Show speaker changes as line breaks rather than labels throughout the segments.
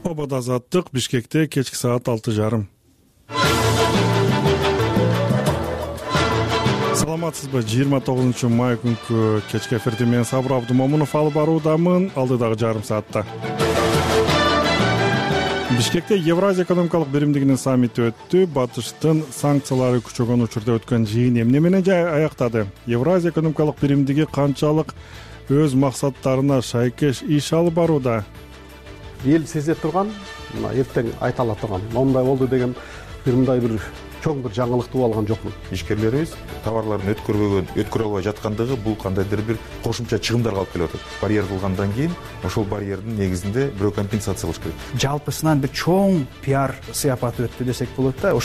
Обод азаттык Бишкекте кечки саат 6:30. Саламатсызбы? 29 май күнкү кечки эфирди мен Сабыр Абдумомунов алып баруудамын. Алдыдагы жарым саатта Бишкекте Евразия экономикалык биримдигинин саммити өттү. Батыштын санкциялары күчөгөн учурда өткөн жыйын эмне менен аяктады? Евразия экономикалык биримдиги канчалык өз максаттарына шайкеш иш алып барууда?
Эл сезе турган, мына эртең айта ала турган, мондай болду деген мындай бир чоң бир жаңылыкты алган жокмун.
Ишкерлерибиз товарларын өткөрө албай жаткандыгы бул кандайдыр бир кошумча чыгымдарга алып келип атат. Барьер кылгандан кийин ошол барьердин негизинде бирөө компенсация кылыш керек.
Жалпысынан бир чоң пиар сыяпаты өттү десек болот да.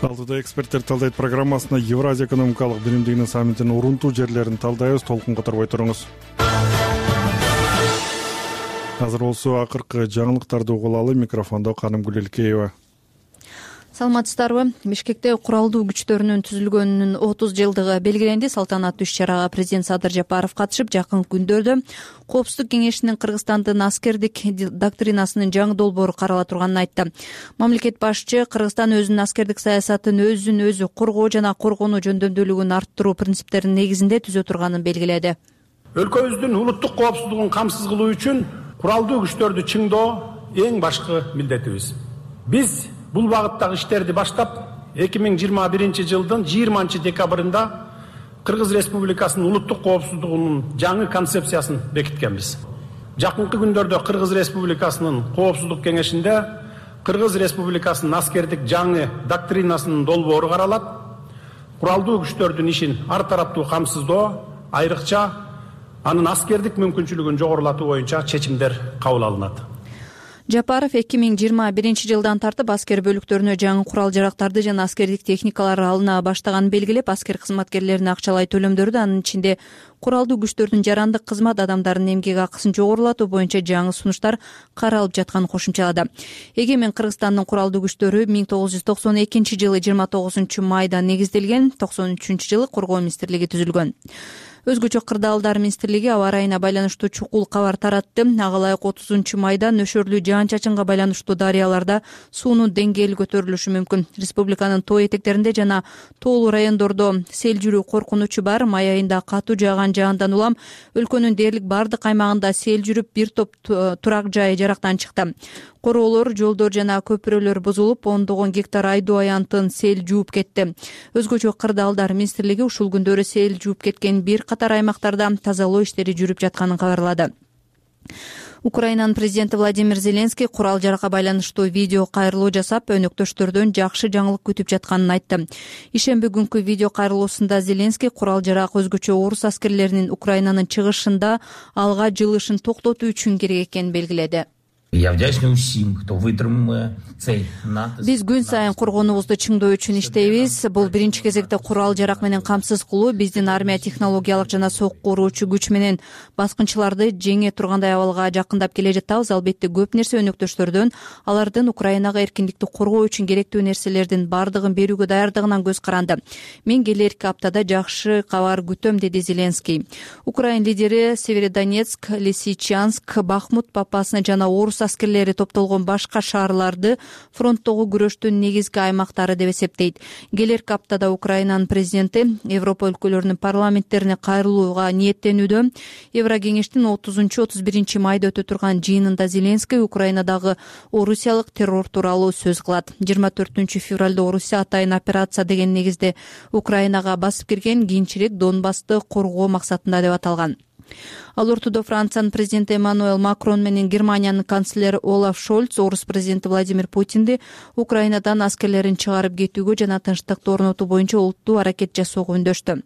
Алдыда эксперттер талдайт программасына Евразия экономикалык биримдигинин саммитинин урунтуу жерлерин талдайбыз. Толкун которбой туруңуз. Азыр болсо акыркы жаңылыктарды угулалы. Микрофондо Канымгүл Элкеева.
Саламатсыздарбы? Бишкекте куралдуу күчтөрүнүн түзүлгөнүнүн 30 жылдыгы белгиленди. Салтанаттуу иш-чарага президент Садыр Жапаров катышып, жакын күндөрдө Коопсуздук кеңешинин Кыргызстандын аскердик доктринасынын жаңы долбоору карала турганын айтты. Мамлекет башчы Кыргызстан өзүнүн аскердик саясатын өзүн өзү коргоо жана коргонуу жөндөмдүүлүгүн арттыруу принциптеринин негизинде түзө турганын белгиледи.
Өлкөбүздүн улуттук коопсуздугун камсыз кылуу үчүн куралдуу күчтөрдү чыңдоо эң башкы милдетибиз. Биз бул багыттагы иштерди баштап 2021 жылдын 20 декабрында Кыргыз Республикасынын улуттук коопсуздугунун жаңы концепциясын бекиткенбиз. Жакынкы күндөрдө Кыргыз Республикасынын Коопсуздук кеңешинде Кыргыз Республикасынын аскердик жаңы доктринасынын долбоору каралат. Куралдуу күчтөрдүн ишин ар тараптуу камсыздоо, айрыкча анын аскердик мүмкүнчүлүгүн жогорулатуу боюнча чечимдер кабыл алынат.
Жапаров 2021 жылдан тартып аскер бөлүктөрүнө жаңы курал-жарактарды жана аскердик техникалар алына баштаганын белгилеп, аскер кызматкерлерине акчалай төлөмдөрдү, анын ичинде куралдуу күчтөрдүн жарандык кызмат адамдарынын эмгек акысын жогорулатуу боюнча жаңы сунуштар каралып жатканын кошумчалады. Эгемен Кыргызстандын куралдуу күчтөрү 1992 жылы 29 майда негизделген, 93 жылы Коргоо министрлиги түзүлгөн. Өзгөчө кырдаалдар министрлиги аба ырайына байланыштуу чукул кабар таратты. Ага ылайык 30 майда нөшөрлүү жаан-чачынга байланыштуу дарыяларда суунун деңгээли көтөрүлүшү мүмкүн. Республиканын тоо этектеринде жана тоолуу райондордо сел жүрүү коркунучу бар. Май айында катуу жааган жаандан улам өлкөнүн дээрлик бардык аймагында сел жүрүп, бир топ турак жай жарактан чыкты. Короолор, жолдор жана көпүрөлөр бузулуп, ондогон гектар айдоо аянтын сел жууп кетти. Өзгөчө кырдаалдар министрлиги ушул күндөрү сел жууп кеткен бир катар аймактарда тазалоо иштери жүрүп жатканын кабарлады. Украинанын президенти Владимир Зеленский курал-жаракка байланыштуу видео кайрылуу жасап, өнөктөштөрдөн жакшы жаңылык күтүп жатканын айтты. Ишемби күнкү видео кайрылуусунда Зеленский курал-жарак өзгөчө орус аскерлеринин Украинанын чыгышында алга жылышын токтотуу үчүн керек экенин белгиледи. Биз күн сайын коргонуубузду чыңдоо үчүн иштейбиз. Бул биринчи кезекте курал-жарак менен камсыз кылуу, биздин армия технологиялык жана сокку уруучу күч менен баскынчыларды жеңе тургандай абалга жакындап келе жатабыз. Албетте көп нерсе өнөктөштөрдөн, алардын Украинага эркиндикти коргоо үчүн керектүү нерселердин бардыгын берүүгө даярдыгынан көз каранды. Мен келерки аптада жакшы кабар күтөм, деди Зеленский. Украин лидери Северодонецк, Лисичанск, Бахмут папасына жана орус аскерлери топтолгон башка шаарларды фронттогу күрөштүн негизги аймактары деп эсептейт. Келерки аптада Украинанын президенти Европа өлкөлөрүнүн парламенттерине кайрылууга ниеттенүүдө. Еврокеңештин 30-31 майда өтө турган жыйынында Зеленский Украинадагы орусиялык террор тууралуу сөз кылат. 24 февралда Орусия атайын операция деген негизде Украинага басып кирген, кийинчерээк Донбассты коргоо максатында деп аталган. Ал ортодо Франциянын президенти Эммануэл Макрон менен Германиянын канцлери Олаф Шольц орус президенти Владимир Путинди Украинадан аскерлерин чыгарып кетүүгө жана тынчтыкты орнотуу боюнча олуттуу аракет жасоого үндөштү.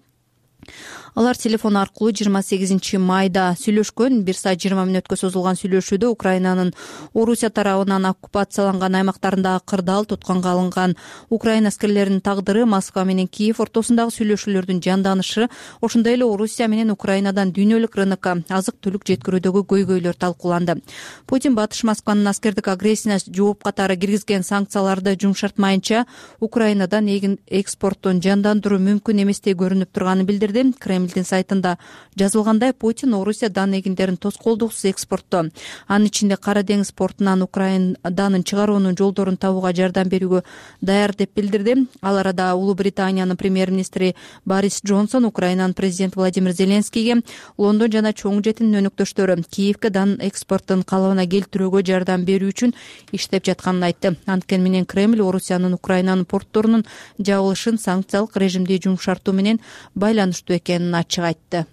Алар телефон аркылуу 28 майда сүйлөшкөн. 1 саат 20 мүнөткө созулган сүйлөшүүдө Украинанын Орусия тарабынан оккупацияланган аймактарындагы кырдаал, тутканга алынган Украина аскерлеринин тагдыры, Москва менен Киев ортосундагы сүйлөшүүлөрдүн жанданышы, ошондой эле Орусия менен Украинадан дүйнөлүк рынокко азык-түлүк жеткирүүдөгү көйгөйлөр талкууланды. Путин батыш Москванын аскердик агрессиясына жооп катары киргизген санкцияларды жумшартмайынча Украинадан экспорттун жандандыруу мүмкүн эместей көрүнүп турганын билдирди. билдирди. Кремлдин сайтында жазылгандай, Путин Орусия дан эгиндерин тоскоолдуксуз экспорттоо, анын ичинде Кара деңиз портунан Украина данын чыгаруунун жолдорун табууга жардам берүүгө даяр деп билдирди. Ал арада Улуу Британиянын премьер-министри Борис Джонсон Украинанын президенти Владимир Зеленскийге Лондон жана чоң жетинин өнөктөштөрү Киевке дан экспорттун калыбына келтирүүгө жардам берүү үчүн иштеп жатканын айтты. Анткени менен Кремль Орусиянын Украинанын портторунун жабылышын санкциялык режимди жумшартуу менен байланыштуу экенин ачык айтты.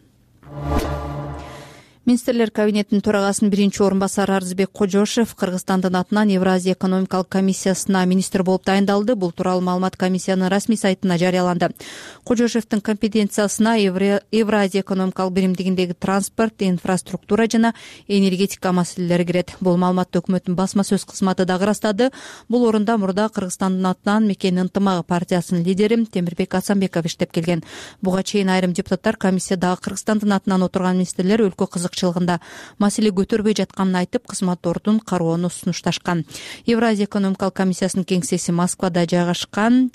Министрлер кабинетинин төрагасынын биринчи орун басары Арзыбек Кожошев Кыргызстандын атынан Евразия экономикалык комиссиясына министр болуп дайындалды. Бул тууралуу маалымат комиссиянын расмий сайтына жарыяланды. Кожошевдин компетенциясына Евразия экономикалык биримдигиндеги транспорт, инфраструктура жана энергетика маселелери кирет. Бул маалыматты өкмөттүн басма сөз кызматы дагы ырастады. Бул орунда мурда Кыргызстандын атынан Мекен ынтымагы партиясынын лидери Темирбек Асанбеков иштеп келген. Буга чейин айрым депутаттар комиссиядагы Кыргызстандын атынан отурган министрлер өлкө кызыкчылыгында маселе көтөрбөй жатканын айтып, кызматтордун кароону сунушташкан. Евразия экономикалык комиссиясынын кеңсеси Москвада жайгашкан.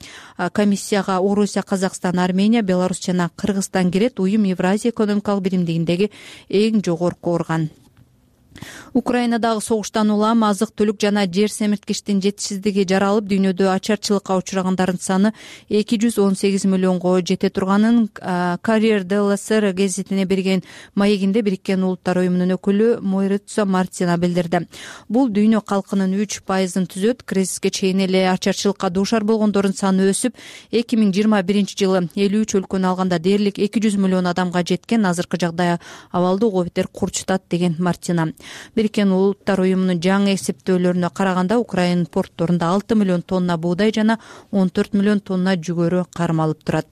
Комиссияга Орусия, Казакстан, Армения, Беларусь жана Кыргызстан кирет. Уюм Евразия экономикалык биримдигиндеги эң жогорку орган. Украинадагы согуштан улам азык-түлүк жана жер семирткичтин жетишсиздиги жаралып, дүйнөдө ачарчылыкка учурагандардын саны 218 миллионго жете турганын Career DLSR гезитине берген маегинде Бириккен Улуттар уюмунун өкүлү Мойрицо Мартина билдирди. Бул дүйнө калкынын 3%-ын түзөт. Кризиске чейин эле ачарчылыкка дуушар болгондордун саны өсүп, 2021 жылы 53 өлкөнү алганда дээрлик 200 миллион адамга жеткен. Азыркы жагдай абалды угуу бетер курчутат деген Мартина. Бириккен Улуттар уюмунун жаңы эсептөөлөрүнө караганда, Украина портторунда 6 миллион тонна буудай жана 14 миллион тонна жүгөрү кармалып турат.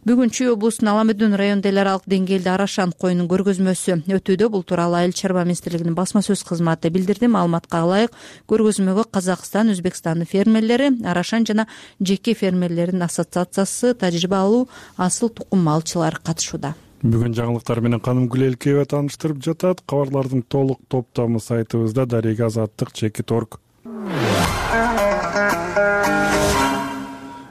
Бүгүн Чүй облусунун Аламедин районунда эл аралык деңгээлде арашан коюнун көргөзмөсү өтүүдө. Бул тууралуу Айыл чарба министрлигинин басма сөз кызматы билдирди. Маалыматка ылайык, көргөзмөгө Казакстан, Өзбекстандын фермерлери, арашан жана жеке фермерлердин ассоциациясы, тажрыйба алуу асыл тукум малчылар катышууда.
Бүгүн жаңылыктар менен Каным Гүлелкеева тааныштырып жатат. Кабарлардын толук топтамы сайтыбызда Дарига Азаттык _.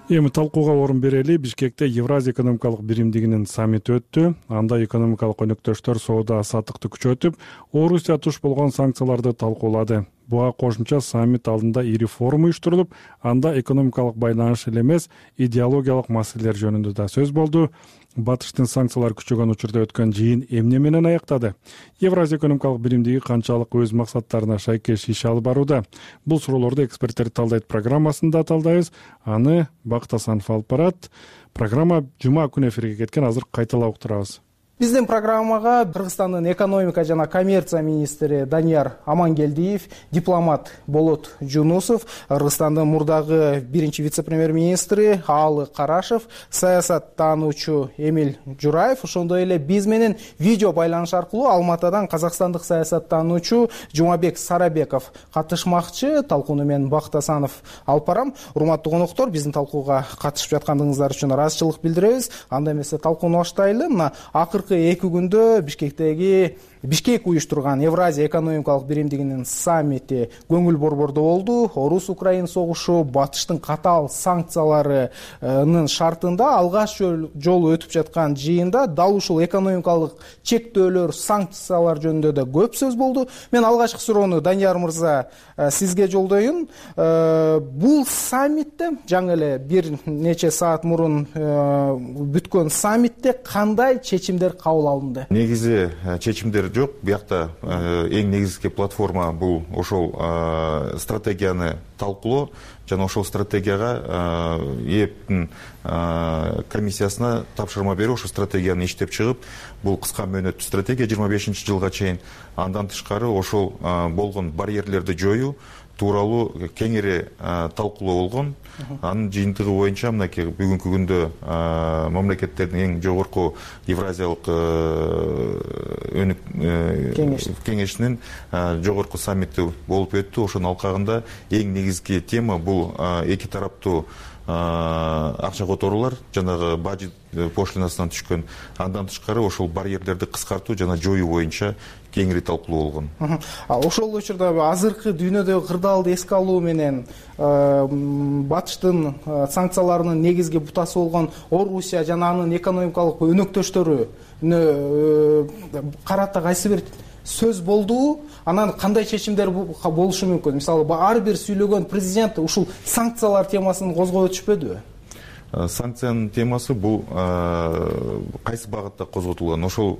Эми талкууга орун берели. Бишкекте Евразия экономикалык биримдигинин саммити өттү. Анда экономикалык өнөктөштөр соода саттыкты күчөтүп, Орусия туш болгон санкцияларды талкуулады. Буга кошумча саммит алдында ири форум уюштурулуп, анда экономикалык байланыш эле эмес, идеологиялык маселелер жөнүндө да сөз болду. Батыштын санкциялар күчөгөн учурда өткөн жыйын эмне менен аяктады? Евразия экономикалык биримдиги канчалык өз максаттарына шайкеш иш алып барууда? Бул суроолорду эксперттер талдайт программасында талдайбыз. Аны Бакыт Асанов алып барат. Программа жума күнү эфирге кеткен, азыр кайталап уктурабыз.
Биздин программага Кыргызстандын экономика жана коммерция министри Данияр Амангелдиев, дипломат Болот Жунусов, Кыргызстандын мурдагы биринчи вице-премьер-министри Аалы Карашев, саясаттануучу Эмиль Жураев, ошондой эле биз менен видео байланыш аркылуу Алматадан казакстандык саясаттануучу Жумабек Сарабеков катышмакчы. Талкууну мен Бакыт Асанов алып барам. Урматтуу коноктор, биздин талкууга катышып жаткандыгыңыздар үчүн ыраазычылык билдиребиз. Анда эмесе талкууну баштайлы. Мына акыркы 2 күндө Бишкек уюштурган Евразия экономикалык биримдигинин саммити көңүл борбордо болду. Орус-Украин согушу, батыштын катаал санкцияларынын шартында алгач жолу өтүп жаткан жыйында дал ушул экономикалык чектөөлөр, санкциялар жөнүндө да көп сөз болду. Мен алгачкы суроону Данияр мырза сизге жолдоюн. Бул саммитте, жаңы эле бир нече саат мурун бүткөн саммитте кандай чечимдер кабыл алынды?
Негизи чечимдер жок. Биякта эң негизги платформа бул ошол стратегияны талкуулоо жана ошол стратегияга ЭЭПтин комиссиясына тапшырма берүү, ошол стратегияны иштеп чыгып, бул кыска мөөнөттүү стратегия 25 жылга чейин. Андан тышкары ошол болгон барьерлерди жоюу тууралуу кеңири талкуулоо болгон. Анын жыйынтыгы боюнча мынакей бүгүнкү күндө мамлекеттердин эң жогорку Евразиялык кеңешинин жогорку саммити болуп өттү. Ошонун алкагында эң негизги тема бул эки тараптуу акча которуулар, жанагы бажит пошлинасынан түшкөн. Андан тышкары ошол барьерлерди кыскартуу жана жоюу боюнча кеңири талкуулоо болгон.
Ошол учурда азыркы дүйнөдөгү кырдаалды эске алуу менен батыштын санкцияларынын негизги бутасы болгон Орусия жана анын экономикалык өнөктөштөрү карата кайсы бир сөз болдубу? Анан кандай чечимдер болушу мүмкүн? Мисалы, ар бир сүйлөгөн президент ушул санкциялар темасын козгой өтүшпөдүбү?
Санкциянын темасы бул кайсы багытта козготулган? Ошол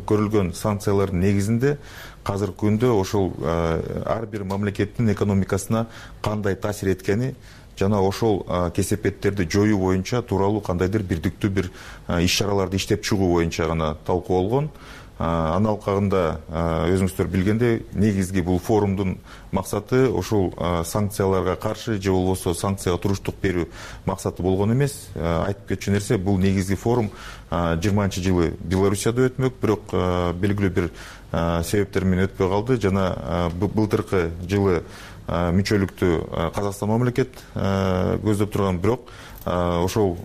көрүлгөн санкциялардын негизинде азыркы күндө ошол ар бир мамлекеттин экономикасына кандай таасир эткени жана ошол кесепеттерди жоюу боюнча тууралуу кандайдыр бирдиктүү бир иш-чараларды иштеп чыгуу боюнча гана талкуулангон. Анын алкагында өзүңүздөр билгендей, негизги бул форумдун максаты ошол санкцияларга каршы же болбосо санкцияга туруштук берүү максаты болгон эмес. Айтып кетчү нерсе, бул негизги форум 20-жылы Белоруссияда өтмөк, бирок белгилүү бир себептер менен өтпөй калды жана былтыркы жылы мүчөлүктү Казакстан мамлекет көздөп турган, бирок ошол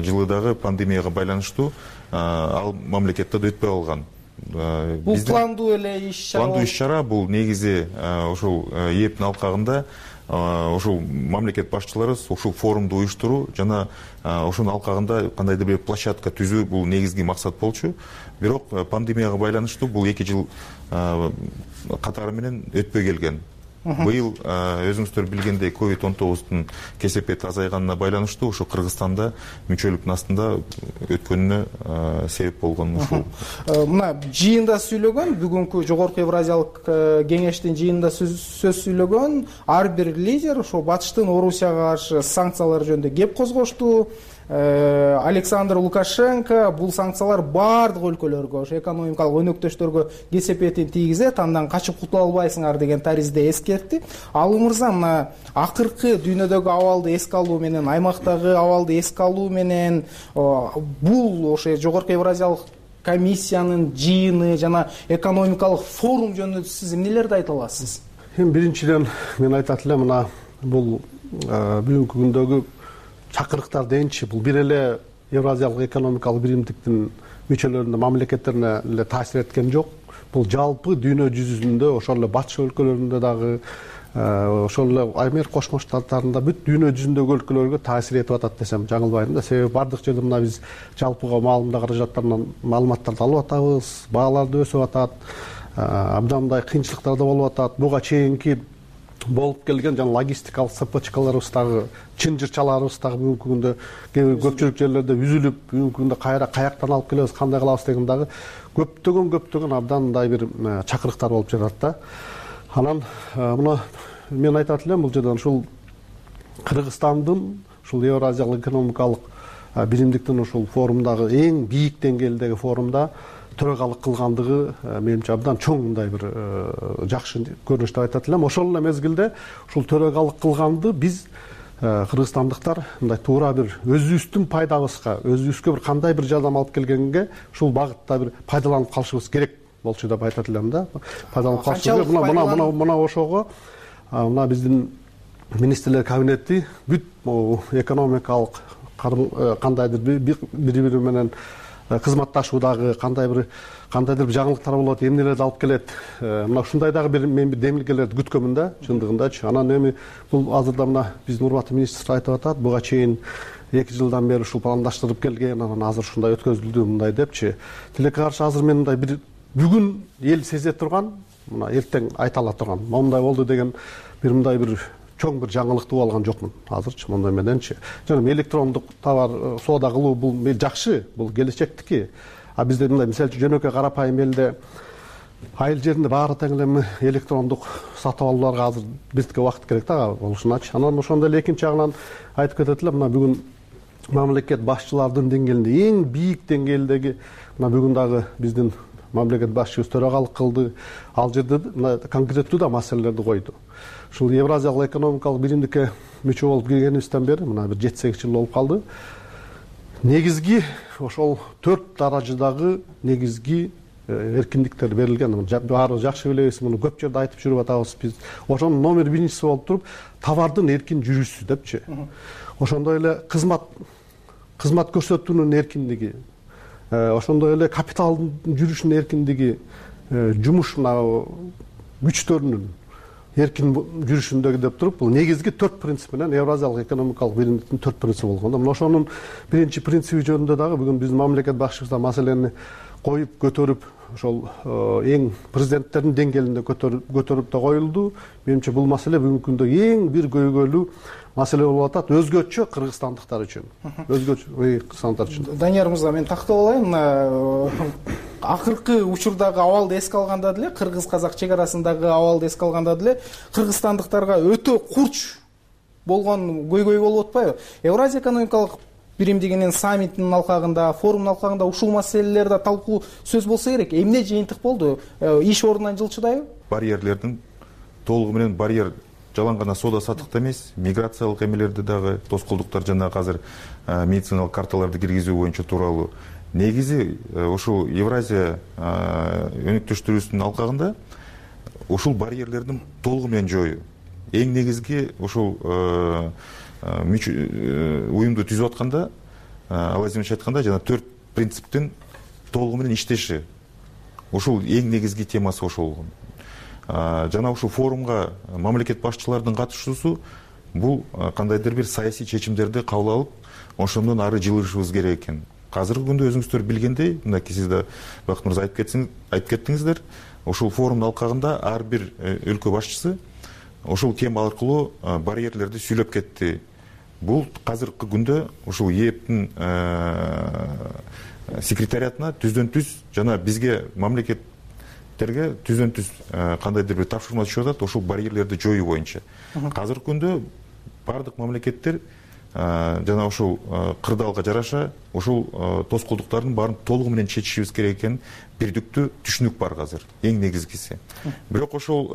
жылы дагы пандемияга байланыштуу ал мамлекетте да өтпөй калган.
Бул пландуу эле иш-чара.
Пландуу иш-чара бул негизи ошол эптин алкагында ошол мамлекет башчылары ушул форумду уюштуруу жана ошонун алкагында кандайдыр бир площадка түзүү бул негизги максат болчу. Бирок пандемияга байланыштуу бул 2 жыл катары менен өтпөй келген. Быйыл өзүңүздөр билгендей COVID-19 кесепети азайганына байланыштуу ошо Кыргызстанда мүчөлүктүн астында өткөнүнө себеп болгон ушул.
Мына жыйында сүйлөгөн, бүгүнкү Жогорку Евразиялык кеңештин жыйында сөз сүйлөгөн ар бир лидер ошо батыштын Орусияга каршы санкциялар жөнүндө кеп козгошту. Александр Лукашенко бул санкциялар баардык өлкөлөргө, ошо экономикалык өнөктөштөргө кесепетин тийгизет, андан качып кутула албайсыңар деген таризде эскертти. Алуу мырза, мына акыркы дүйнөдөгү абалды эске алуу менен, аймактагы абалды эске алуу менен бул ошо Жогорку Евразиялык комиссиянын жыйыны жана экономикалык форум жөнүндө сиз эмнелерди айта аласыз?
Биринчиден мен айтат элем, мына бул бүгүнкү күндөгү чакырыктар дейинчи, бул бир эле Евразиялык экономикалык биримдиктин мүчөлөрүнө, мамлекеттерине эле таасир эткен жок. Бул жалпы дүйнө жүзүндө, ошол эле батыш өлкөлөрүндө дагы, ошол эле Америка Кошмо Штаттарында бүт дүйнө жүзүндөгү өлкөлөргө таасир этип атат десем жаңылбайм да. Себеби бардык жерде мына биз жалпыга маалымдоо каражаттарынан маалыматтарды алып атабыз, баалар да өсүп атат, абдан мындай кыйынчылыктар да болуп атат. Буга чейинки болуп келген жана логистикалык цепочкаларыбыз дагы, чынжырчаларыбыз дагы бүгүнкү күндө көпчүлүк жерлерде үзүлүп, бүгүнкү күндө каяктан алып келебиз, кандай кылабыз деген дагы көптөгөн абдан мындай бир чакырыктар болуп жатат да. Анан мына мен айтат элем, бул жерден ушул Кыргызстандын ушул Евразиялык экономикалык биримдиктин ушул форумдагы эң бийик деңгээлдеги форумда төрөгалык кылгандыгы менимче абдан чоң мындай бир жакшы көрүнүш деп айтат элем. Ошол эле мезгилде ушул төрөгалык кылганды биз кыргызстандыктар мындай туура бир өзүбүздүн пайдабызга, өзүбүзгө бир кандай бир жардам алып келгенге ушул багытта бир пайдаланып калышыбыз керек болчу деп айтат элем да. Пайдаланып калышыбыз мына ошого мына биздин министрлер кабинети бүт экономикалык кандайдыр бири-бири менен кызматташуудагы кандайдыр бир жаңылыктар болот, эмнелерди алып келет. Мына ушундай дагы мен бир демилгелерди күткөнмүн да, чындыгындачы. Анан эми бул азырда мына биздин урматтуу министр айтып атат, буга чейин 2 жылдан бери ушул пландаштырып келген, анан азыр ушундай өткөзүлдү мындай депчи. Тилекке каршы азыр мен мындай бир бүгүн эл сезе турган, мына эртең айта ала турган, мондай болду деген бир мындай бир чоң бир жаңылыктуу алган жокмун азырчы мондой мененчи. Жана электрондук товар соода кылуу бул жакшы, бул келечектики. А бизде мындай мисалы үчүн жөнөкөй карапайым элде айыл жеринде баары тең эле электрондук сатып алууларга азыр бизге убакыт керек да болушуначы. Анан ошондой эле экинчи жагынан айтып кетет элем, мына бүгүн мамлекет башчылардын деңгээлинде эң бийик деңгээлдеги мына бүгүн дагы биздин мамлекет башчыбыз төрагалык кылды. Ал жерде конкреттүү да маселелерди койду. Ушул Евразиялык экономикалык биримдикке мүчө болуп киргенибизден бери мына бир 7-8 жыл болуп калды. Негизги ошол 4 даражадагы негизги эркиндиктер берилген. Баарыбыз жакшы билебиз, муну көп жерде айтып жүрүп атабыз биз. Ошонун номер биринчиси болуп туруп товардын эркин жүрүшү депчи. Ошондой эле кызмат көрсөтүүнүн эркиндиги, ошондой эле капиталдын жүрүшүнүн эркиндиги, жумуш күчтөрүнүн эркин жүрүшүндөгү деп туруп, бул негизги 4 принцип менен Евразиялык экономикалык биримдиктин 4 принципи болгон. Мына ошонун биринчи принципи жөнүндө дагы бүгүн биздин мамлекет башчыбыз да маселени коюп көтөрүп, ошол эң президенттердин деңгээлинде көтөрүп да коюлду. Менимче бул маселе бүгүнкү күндө эң бир көйгөйлүү маселе болуп атат, өзгөчө кыргызстандыктар үчүн. Кыргызстандыктар үчүн.
Данияр мырза, мен тактап алайын. Акыркы учурдагы абалды эске алганда деле, кыргыз-казак чек арасындагы абалды эске алганда деле, кыргызстандыктарга өтө курч болгон көйгөй болуп атпайбы? Евразия экономикалык биримдигинин саммитинин алкагында, форумдун алкагында ушул маселелер да талкуу сөз болсо керек. Эмне жыйынтык болду? Иш ордунан жылчыдайбы?
Барьерлердин толугу менен барьер жалаң гана соода саттыкта эмес, миграциялык эмелерди дагы, тоскоолдуктар жана азыр медициналык карталарды киргизүү боюнча тууралуу. Негизи ушул Евразия өнөктөштүрүүсүнүн алкагында ушул барьерлердин толугу менен жоюу. Эң негизги ушул уюмду түзүп атканда, Алазимович айтканда, жана 4 принциптин толугу менен иштеши. Ушул эң негизги темасы ошол болгон. Жана ушул форумга мамлекет башчыларынын катышуусу бул кандайдыр бир саясий чечимдерди кабыл алып, ошондон ары жылышыбыз керек экен. Азыркы күндө өзүңүздөр билгендей, мынакей сиз да Бакыт мырза айтып кеттиңиздер, ушул форумдун алкагында ар бир өлкө башчысы ушул тема аркылуу барьерлерди сүйлөп кетти. Бул азыркы күндө ушул ЕЭПтин секретариатына түздөн-түз жана бизге мамлекеттерге түздөн-түз кандайдыр бир тапшырма түшүп атат ушул барьерлерди жоюу боюнча. Азыркы күндө бардык мамлекеттер жана ушул кырдаалга жараша ушул тоскоолдуктардын баарын толугу менен чечишибиз керек экен бирдиктүү түшүнүк бар азыр, эң негизгиси. Бирок ошол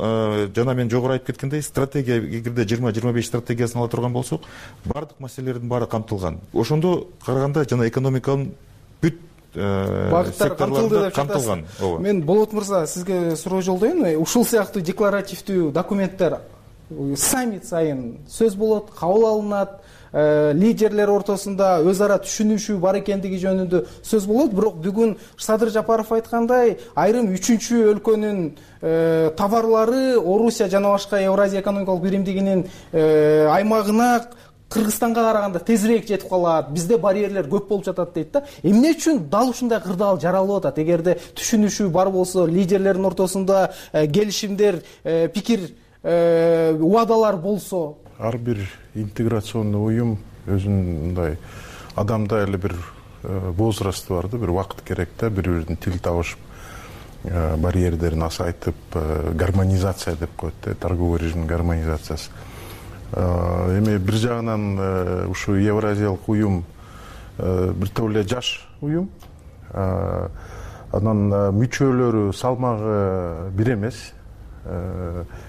жана мен жогору айтып кеткендей, стратегия эгерде 20-25 стратегиясын ала турган болсок, бардык маселелердин баары камтылган. Ошондо караганда жана экономиканын бүт
багыттар камтылды деп
камтылган.
Мен Болот мырза сизге суроо жолдойм. Ушул сыяктуу декларативдүү документтер саммит сайын сөз болот, кабыл алынат, лидерлер ортосунда өз ара түшүнүшүү бар экендиги жөнүндө сөз болот. Бирок бүгүн Садыр Жапаров айткандай, айрым 3-чү өлкөнүн товарлары Орусия жана башка Евразия экономикалык биримдигинин аймагына Кыргызстанга караганда тезирээк жетип калат, бизде барьерлер көп болуп жатат дейт да. Эмне үчүн дал ушундай кырдаал жаралып атат? Эгерде түшүнүшүү бар болсо, лидерлердин ортосунда келишимдер, пикир, убадалар болсо,
ар бир интеграционный уюм өзүнүн мындай адамда эле бир возрасты бар да, бир убакыт керек да, бири-биринин тил табышып, барьерлерин азайтып, гармонизация деп коет да, торговый режимдин гармонизациясы. Эми бир жагынан ушу Евразиялык уюм бир топ эле жаш уюм, анан мүчөлөрү салмагы бир эмес.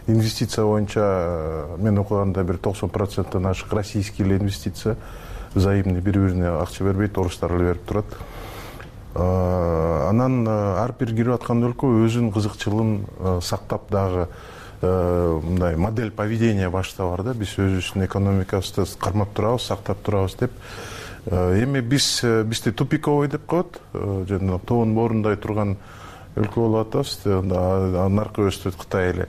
Инвестиция боюнча мен окуганда бир 90%-тан ашык российский эле инвестиция, взаимный, бири-бирине акча бербейт, орустар эле берип турат. Анан ар бир кирип аткан өлкө өзүнүн кызыкчылыгын сактап дагы мындай модель поведения башта бар да, биз өзүбүздүн экономикабызды кармап турабыз, сактап турабыз деп. Эми бизди тупиковый деп коет, жана тоонун боорундай турган өлкө болуп атабыз, наркы өстүт Кытай эле.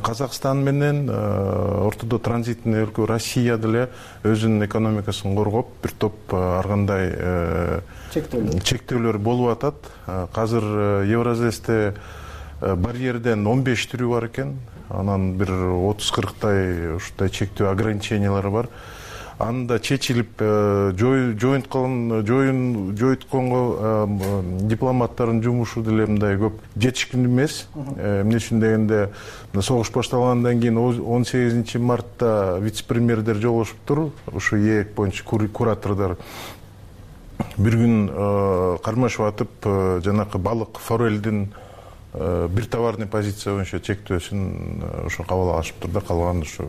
Казакстан менен ортодо транзитный өлкө Россия деле өзүнүн экономикасын коргоп, бир топ ар кандай чектөөлөр болуп атат. Азыр Евразесте барьерден 15 түрү бар экен, анан бир 30-40 ушундай чектөө ограничениялары бар. Анда чечилип жоютконго дипломаттардын жумушу деле мындай көп жетишкин эмес. Эмне үчүн дегенде, согуш башталгандан кийин 18 мартта вице-премьердер жолугушуптур, ушу ЕЭК боюнча куратордор. Бир күн кармашып атып, жанакы балык, форелдин бир товарный позиция боюнча чектөөсүн ушу кабыл алышыптыр да, калган ушу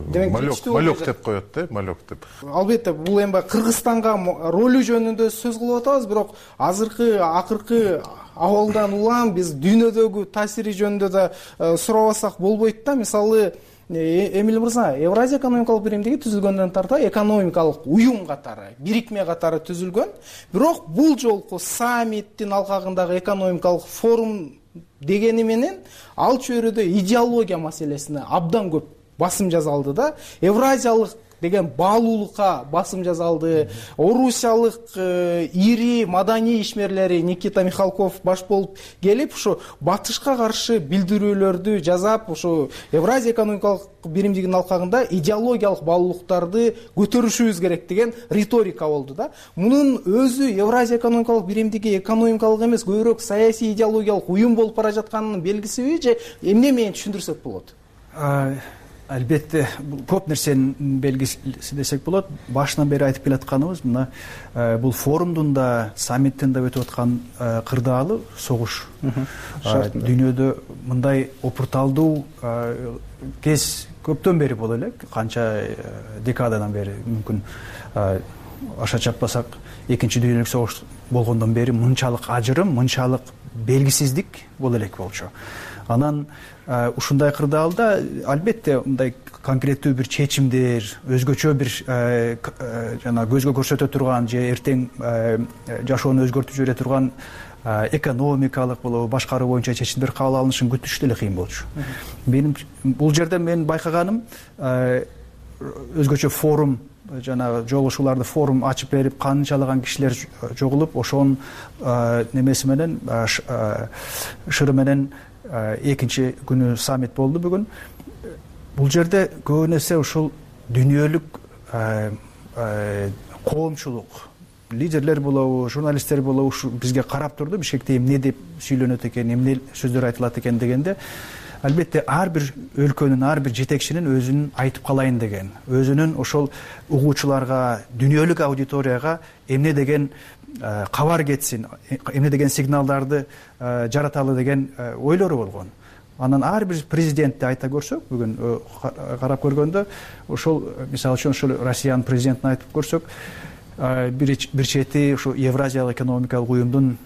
малек деп коет да, малек деп.
Албетте бул эми Кыргызстанга ролу жөнүндө сөз кылып атабыз, бирок акыркы абалдан улам биз дүйнөдөгү таасири жөнүндө да сурабасак болбойт да. Мисалы Эмиль мырза, Евразия экономикалык биримдиги түзүлгөндөн тарта экономикалык уюм катары, бирикме катары түзүлгөн. Бирок бул жолку саммиттин алкагындагы экономикалык форум дегени менен ал чөйрөдө идеология маселесине абдан көп басым жасалды да. Евразиялык деген баалуулукка басым жасалды. Орусиялык ири маданий ишмерлери Никита Михалков баш болуп келип, ушу батышка каршы билдирүүлөрдү жасап, ушу Евразия экономикалык биримдигинин алкагында идеологиялык баалуулуктарды көтөрүшүбүз керек деген риторика болду да. Мунун өзү Евразия экономикалык биримдиги экономикалык эмес, көбүрөөк саясий идеологиялык уюм болуп бара жатканынын белгисиби же эмне менен түшүндүрсөк болот?
Албетте көп нерсенин белгиси десек болот. Башынан бери айтып келатканыбыз мына бул форумдун да саммиттин да өтүп аткан кырдаалы согуш. Дүйнөдө мындай опурталдуу кез көптөн бери боло элек, канча декададан бери, мүмкүн аша чаппасак экинчи дүйнөлүк согуш болгондон бери мынчалык ажырым, мынчалык белгисиздик боло элек болчу. Анан ушундай кырдаалда албетте мындай конкреттүү бир чечимдер, өзгөчө бир жана көзгө көрсөтө турган же эртең жашоону өзгөртүп жибере турган экономикалык болобу башкаруу боюнча чечимдер кабыл алынышын күтүш деле кыйын болчу. Менин бул жерде мен байкаганым өзгөчө форум жана жолугушууларды форум ачып берип канчалаган кишилер жогулуп, ошонун немеси менен шыры менен экинчи күнү саммит болду бүгүн. Бул жерде көп нерсе ушул дүйнөлүк коомчулук, лидерлер болобу, журналисттер болобу ушу бизге карап турду, бишкекте эмне деп сүйлөнөт экен, эмне сөздөр айтылат экен дегенде, албетте ар бир өлкөнүн, ар бир жетекчинин өзүнүн айтып калайын деген, өзүнүн ошол угуучуларга, дүйнөлүк аудиторияга эмне деген кабар кетсин, эмне деген сигналдарды жараталы деген ойлору болгон. Анан ар бир президентти айта көрсөк, бүгүн карап көргөндө, ошол мисалы үчүн ошол Россиянын президентин айтып көрсөк, бир чети ушу Евразиялык экономикалык уюмдун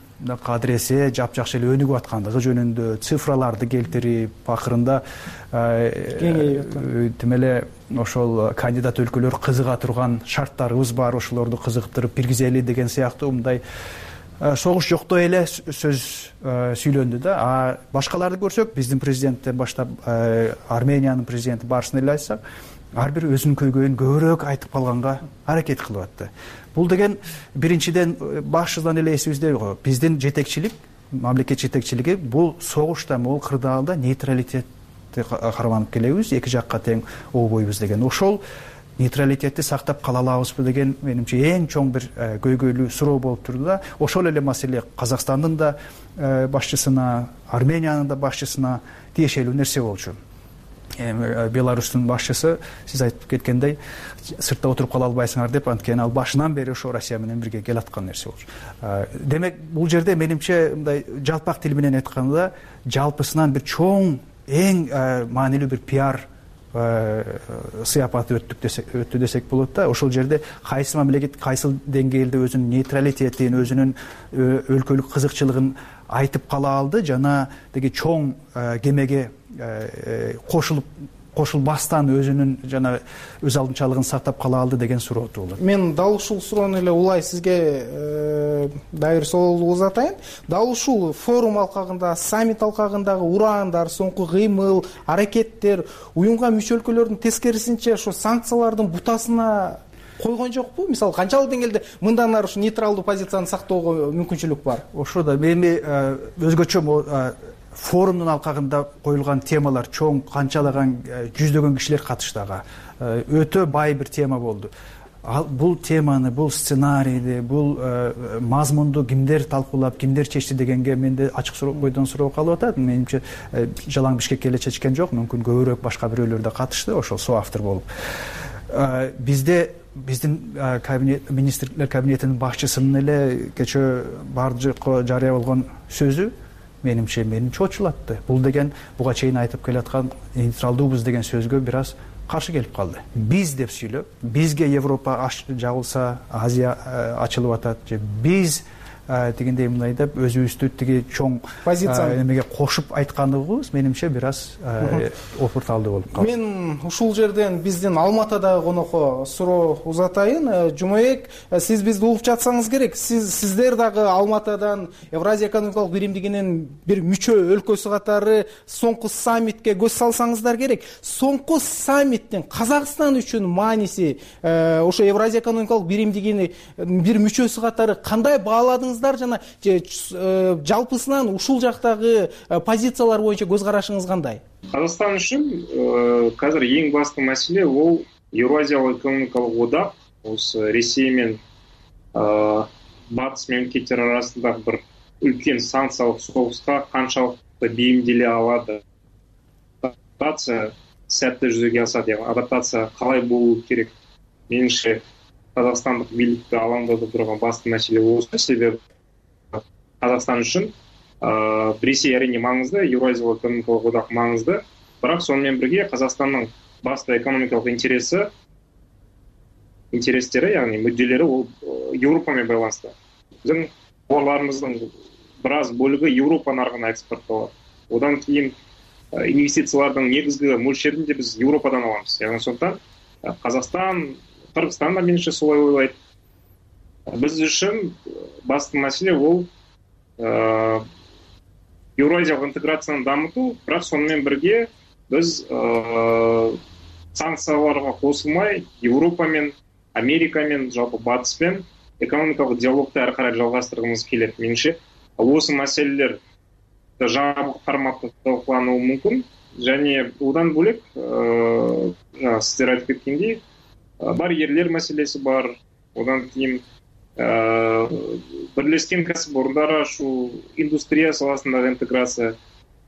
кадресе жапжакшы эле өнүгүп аткандыгы жөнүндө цифраларды келтирип, акырында тим эле ошол кандидат өлкөлөр кызыга турган шарттарыбыз бар, ошолорду кызыктырып киргизели деген сыяктуу мындай согуш жоктой эле сөз сүйлөндү да. А башкаларды көрсөк, биздин президенттен баштап Армениянын президенти баарысын эле айтсак, ар бир өзүнүн көйгөйүн көбүрөөк айтып калганга аракет кылып атты. Бул деген биринчиден башынан эле эсибизде го, биздин жетекчилик, мамлекет жетекчилиги бул согушта, бул кырдаалда нейтралитетти карманып келебиз, эки жакка тең обойбуз деген. Ошол нейтралитетти сактап кала алабызбы деген менимче эң чоң бир көйгөйлүү суроо болуп турду да. Ошол эле маселе Казакстандын да башчысына, Армениянын да башчысына тиешелүү нерсе болчу. Беларустун башчысы сиз айтып кеткендей сыртта отуруп кала албайсыңар деп, анткени ал башынан бери ошо Россия менен бирге келаткан нерсе болчу. Демек бул жерде менимче мындай жалпак тил менен айтканда жалпысынан бир чоң, эң маанилүү бир пиар сыяпаты өттү десек болот да. Ошол жерде кайсы мамлекет кайсыл деңгээлде өзүнүн нейтралитетин, өзүнүн өлкөлүк кызыкчылыгын айтып кала алды жана деги чоң кемеге кошулбастан өзүнүн жана өз алдынчалыгын сактап кала алды деген суроо туулат.
Мен дал ушул суроону эле улай сизге дайыр соолду узатайын. Дал ушул форум алкагында, саммит алкагындагы ураандар, соңку кыймыл, аракеттер уюмга мүчө өлкөлөрдүн тескерисинче ошо санкциялардын бутасына койгон жокпу? Мисалы, канчалык деңгээлде мындан ары ушу нейтралдуу позицияны сактоого мүмкүнчүлүк бар?
Ошо да эми өзгөчө форумдун алкагында коюлган темалар чоң, канчалаган жүздөгөн кишилер катышты ага. Өтө бай бир тема болду. Бул теманы, бул сценарийди, бул мазмунду кимдер талкуулап, кимдер чечти дегенге менде ачык бойдон суроо калып атат. Менимче жалаң Бишкекке эле чечкен жок, мүмкүн көбүрөөк башка бирөөлөр да катышты, ошол соавтор болуп. Биздин министрлер кабинетинин башчысынын эле кечээ бардыгы жарыя болгон сөзү менимче мени чочулатты. Бул деген буга чейин айтып келаткан нейтралдуубуз деген сөзгө бир аз каршы келип калды. Биз деп сүйлөп, бизге Европа жабылса, Азия ачылып атат, же биз тигиндей мындай деп өзүбүздү тиги чоң позицияны эмеге кошуп айтканыбыз менимче бир аз опурталдуу болуп калды.
Мен ушул жерден биздин Алматадагы конокко суроо узатайын. Жумабек, сиз бизди угуп жатсаңыз керек. Сиздер дагы Алматадан Евразия экономикалык биримдигинин бир мүчө өлкөсү катары соңку саммитке көз салсаңыздар керек. Соңку саммиттин Казакстан үчүн мааниси ошо Евразия экономикалык биримдигинин бир мүчөсү катары кандай бааладыңыздар жана жалпысынан ушул жактагы позициялар боюнча көз карашыңыз кандай?
Казакстан үчүн азыр эң басты маселе бул Евразиялык экономикалык одак осы Ресей менен батыс мемлекеттер арасындагы бир үлкен санкциялык согуска канчалыкты бейимделе алады, адаптация сәтті жүзеге асады, яғни адаптация қалай болу керек? Меніңше Қазақстандық билікті алаңдатып тұрған басты мәселе осы. Себебі Қазақстан үшін Ресей әрине маңызды, Еуразиялық экономикалық одақ маңызды, бірақ сонымен бірге Қазақстанның басты экономикалық интерестері, яғни мүдделері ол Еуропамен байланысты. Біздің тауарларымыздың біраз бөлігі Еуропа нарығына экспортталады. Одан кейін инвестициялардың негізгі мөлшерін де біз Еуропадан аламыз. Яғни сондықтан Қазақстан, Қырғызстан да меніңше солай ойлайды. Біз үшін басты мәселе ол Еуразиялық интеграцияны дамыту, бірақ сонымен бірге біз санкцияларға қосылмай Еуропамен, Америкамен, жалпы батыспен экономикалық диалогты әрі қарай жалғастырғымыз келеді. Меніңше осы мәселелер жабық форматта талқылануы мүмкін, және одан бөлек сіздер айтып кеткендей барьерлер мәселесі бар. Одан кейін бірлескен кәсіпорындар ашу, индустрия саласындағы интеграция.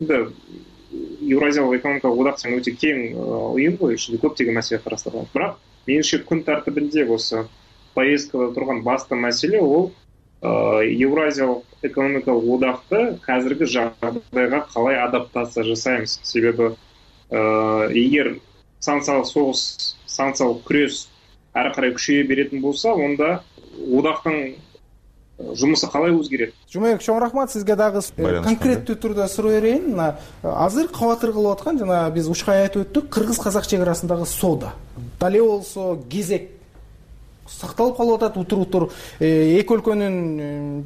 Еуразиялық экономикалық одақ өте кең ұйым ғой, ішінде көптеген мәселе қарастырылған. Бірақ меніңше күн тәртібінде осы повесткада тұрған басты мәселе ол Еуразиялық экономикалық одақты қазіргі жағдайға қалай адаптация жасаймыз. Себебі егер санкциялық соғыс, санкциялық күрес әрі қарай күшейе беретін болса, онда одақтың жұмысы қалай өзгереді?
Жумабек, чоң рахмат, сизге дагы конкреттүү түрдө суроо берейин. Азыр кабатыр кылып аткан жана биз ушкай айтып өттүк, кыргыз-казак чек арасындагы соода. Дале болсо кезек сакталып калып атат, утур эки өлкөнүн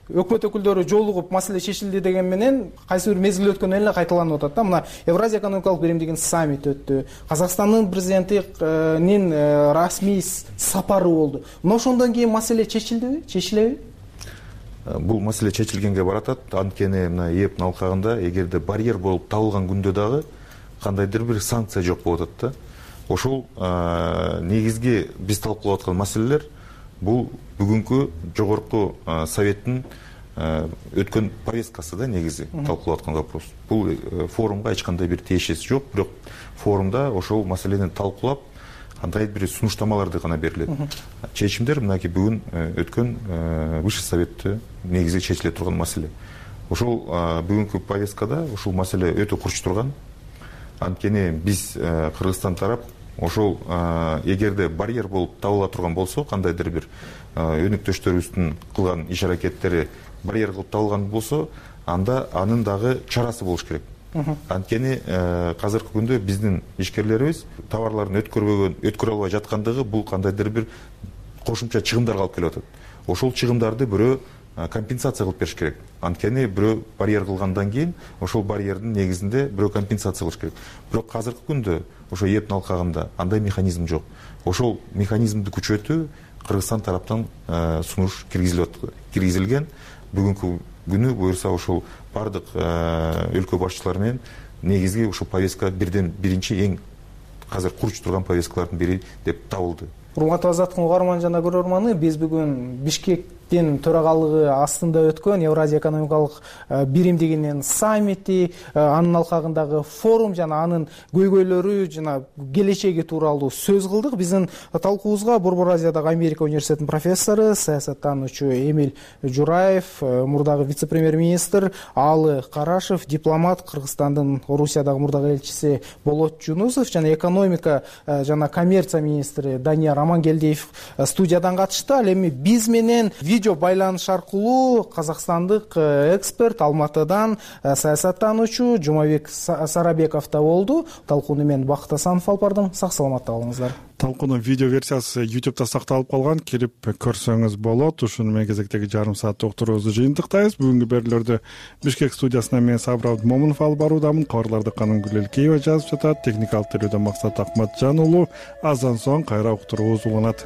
өкмөт өкүлдөрү жолугуп маселе чечилди деген менен кайсы бир мезгил өткөн эле кайталанып атат да. Мына Евразия экономикалык биримдигинин саммити өттү. Казакстандын президентинин расмий сапары болду. Мына ошондон кийин маселе чечилдиби? Чечилеби?
Бул маселе чечилгенге баратат. Анткени мына ЭЭП алкагында эгерде барьер болуп табылган күндө дагы кандайдыр бир санкция жок болуп атат да. Ошол негизги биз талкуулап аткан маселелер бул бүгүнкү жогорку советтин өткөн повесткасы да негизи талкуулап аткан вопрос. Бул форумга эч кандай бир тиешеси жок, бирок форумда ошол маселени талкуулап кандай бир сунуштамаларды гана берилет. Чечимдер мынакей бүгүн өткөн высший советте негизи чечиле турган маселе. Ошол бүгүнкү повесткада ушул маселе өтө курч турган. Анткени биз Кыргызстан тарап ошол эгерде барьер болуп табыла турган болсо, кандайдыр бир өнөктөштөрүбүздүн кылган иш аракеттери барьер кылып табылган болсо, анда анын дагы чарасы болуш керек. Анткени азыркы күндө биздин ишкерлерибиз товарларын өткөрө албай жаткандыгы бул кандайдыр бир кошумча чыгымдарга алып келип атат. Ошол чыгымдарды бирөө компенсация кылып бериш керек. Анткени бирөө барьер кылгандан кийин ошол барьердин негизинде бирөө компенсация кылыш керек. Бирок азыркы күндө ошо ЭЭП алкагында андай механизм жок. Ошол механизмди күчөтүү Кыргызстан тараптан сунуш киргизилген. Бүгүнкү күнү буюрса ошол бардык өлкө башчылары менен негизги ушул повестка биринчи эң азыр курч турган повесткалардын бири деп табылды.
Урматтуу Азаттыктын угарман жана көрөрманы, биз бүгүн Бишкектин төрагалыгы астында өткөн Евразия экономикалык биримдигинин саммити, анын алкагындагы форум жана анын көйгөйлөрү жана келечеги тууралуу сөз кылдык. Биздин талкуубузга Борбор Азиядагы Америка университетинин профессору, саясаттануучу Эмиль Жураев, мурдагы вице-премьер-министр Алы Карашев, дипломат, Кыргызстандын Орусиядагы мурдагы элчиси Болот Жунусов жана экономика жана коммерция министри Данияр Амангелдиев студиядан катышты. Ал эми биз менен видео байланыш аркылуу казакстандык эксперт, Алматыдан саясаттануучу Жумабек Сарабеков да болду. Талкууну мен Бакыт Асанов алып бардым. Сак саламатта болуңуздар.
Талкуунун видео версиясы YouTube'да сакталып калган, кирип көрсөңүз болот. Ушуну менен кезектеги жарым сааттык уктуруубузду жыйынтыктайбыз. Бүгүнкү берүүлөрдү Бишкек студиясынан мен Сабыр Абдымомунов алып баруудамын. Кабарларды Канымгүл Элкеева жазып жатат. Техникалык терүүдө Максат Акматжан уулу. Аздан соң кайра уктуруубуз уланат.